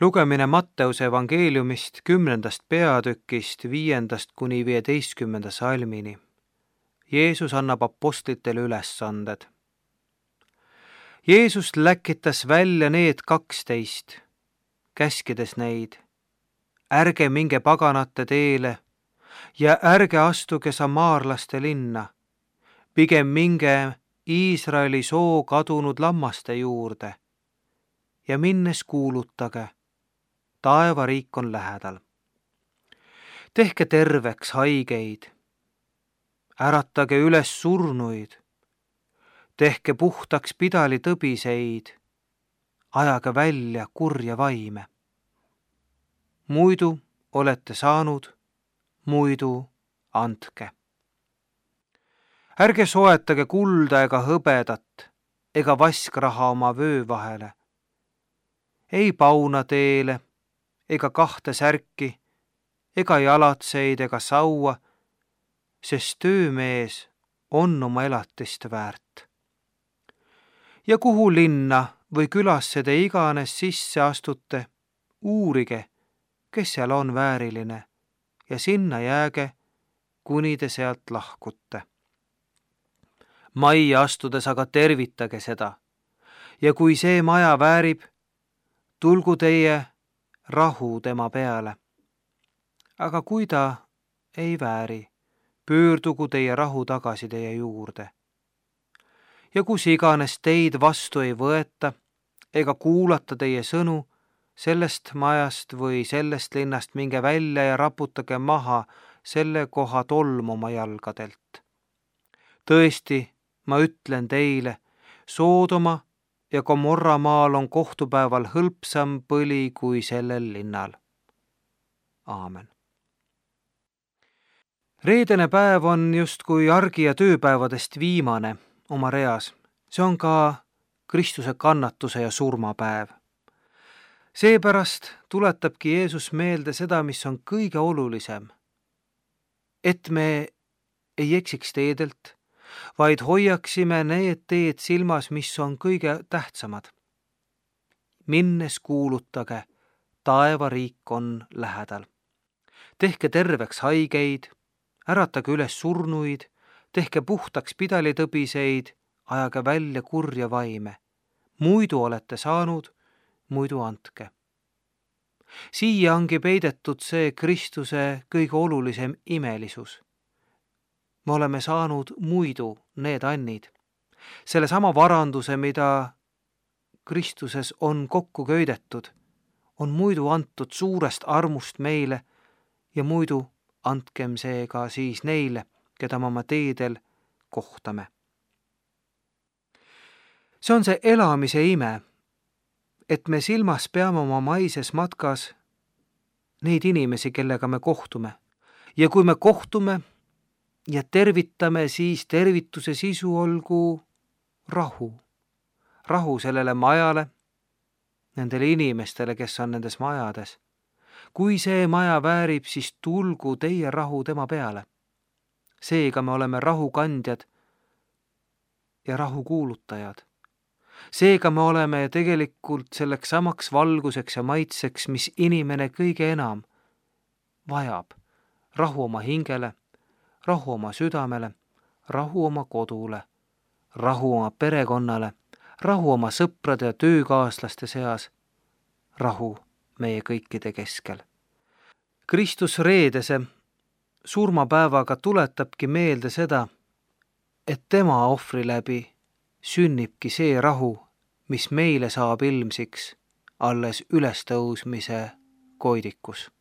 Lugemine Matteuse evangeeliumist 10. peatükist 5–15 salmini. Jeesus annab apostlitele ülesanded. Jeesus läkitas välja need 12, käskides neid: ärge minge paganate teele ja ärge astuge samaarlaste linna, pigem minge Iisraeli soo kadunud lammaste juurde ja minnes kuulutage: taevariik on lähedal. Tehke terveks haigeid, äratage üles surnuid, tehke puhtaks pidalitõbiseid, ajage välja kurja vaime. Muidu olete saanud, muidu andke. Ärge soetage kulda ega hõbedat ega vaskraha oma vöö vahele, ei pauna teele ega 2 särki ega jalatseid ega saua, sest töömees on oma elatist väärt. Ja kuhu linna või külasse te iganes sisse astute, uurige, kes seal on vääriline, ja sinna jääge, kuni te sealt lahkute. Majja astudes aga tervitage seda, ja kui see maja väärib, tulgu teie rahu tema peale. Aga kui ta ei vääri, pöördugu teie rahu tagasi teie juurde. Ja kus iganes teid vastu ei võeta ega kuulata teie sõnu, sellest majast või sellest linnast minge välja ja raputage maha selle koha tolm oma jalgadelt. Tõesti, ma ütlen teile, Soodoma ja Gomorra maal on kohtupäeval hõlpsam põli kui sellel linnal. Aamen. Reedene päev on justkui argi- ja tööpäevadest viimane oma reas. See on ka Kristuse kannatuse ja surmapäev. Seepärast tuletabki Jeesus meelde seda, mis on kõige olulisem. Et me ei eksiks teedelt, vaid hoiaksime need teed silmas, mis on kõige tähtsamad. Minnes kuulutage: taevariik on lähedal. Tehke terveks haigeid, äratage üles surnuid, tehke puhtaks pidalitõbiseid, ajage välja kurja vaime. Muidu olete saanud, muidu andke. Siia ongi peidetud see Kristuse kõige olulisem imelisus. Me oleme saanud muidu need annid, selle sama varanduse, mida Kristuses on kokku köidetud, on muidu antud suurest armust meile ja muidu andkem seega siis neile, keda me oma teedel kohtame. See on see elamise ime, et me silmas peame oma maises matkas neid inimesi, kellega me kohtume. Ja kui me kohtume ja tervitame, siis tervituse sisu olgu rahu. Rahu sellele majale, nendele inimestele, kes on nendes majades. Kui see maja väärib, siis tulgu teie rahu tema peale. Seega me oleme rahu kandjad ja rahu kuulutajad. Seega me oleme tegelikult selleks samaks valguseks ja maitseks, mis inimene kõige enam vajab. Rahu oma hingele, rahu oma südamele, rahu oma kodule, rahu oma perekonnale, rahu oma sõprade ja töökaaslaste seas, rahu meie kõikide keskel. Kristus reedese surmapäevaga tuletabki meelde seda, et tema ohvri läbi sünnibki see rahu, mis meile saab ilmsiks alles ülestõusmise koidikus.